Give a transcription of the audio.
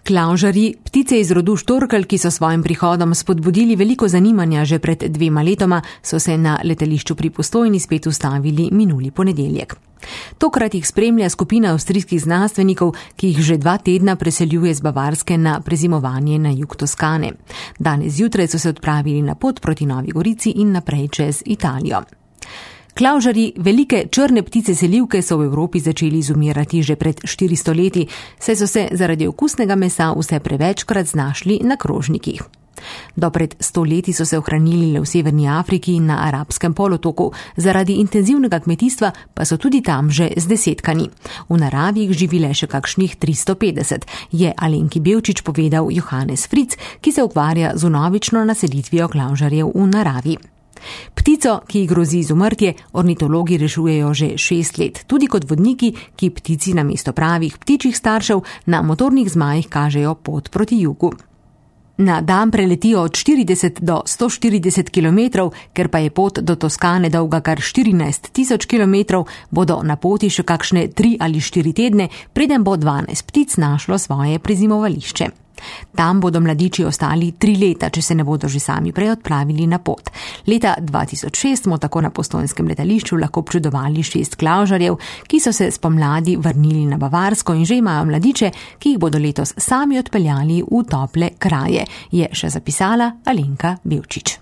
Klavžarji, ptice iz rodu štorkelj, ki so svojim prihodom spodbudili veliko zanimanja že pred 2 letoma, so se na letališču pri Postojni spet ustavili minuli ponedeljek. Tokrat jih spremlja skupina avstrijskih znanstvenikov, ki jih že 2 tedna preseljuje z Bavarske na prezimovanje na jug Toskane. Danes zjutraj so se odpravili na pot proti Novi Gorici in naprej čez Italijo. Klavžarji, velike črne ptice selivke, so v Evropi začeli izumirati že pred 400 leti, saj so se zaradi okusnega mesa vse prevečkrat znašli na krožnikih. Do pred 100 leti so se ohranili le v Severni Afriki in na Arabskem polotoku, zaradi intenzivnega kmetijstva pa so tudi tam že zdesetkani. V naravi jih živi le še kakšnih 350, je Alenki Bevčič povedal Johannes Fritz, ki se ukvarja z vnovično naselitvijo klavžarjev v naravi. Ptico, ki ji grozi izumrtje, ornitologi rešujejo že 6 let, tudi kot vodniki, ki ptici namesto pravih ptičjih staršev na motornih zmajih kažejo pot proti jugu. Na dan preletijo od 40 do 140 km, ker pa je pot do Toskane dolga kar 14.000 km, bodo na poti še kakšne 3 ali 4 tedne, preden bo 12 ptic našlo svoje prezimovališče. Tam bodo mladiči ostali 3 leta, če se ne bodo že sami prej odpravili na pot. Leta 2006 smo tako na postojnskem letališču lahko občudovali 6 klavžarjev, ki so se spomladi vrnili na Bavarsko in že imajo mladiče, ki jih bodo letos sami odpeljali v tople kraje, je še zapisala Alenka Bevčič.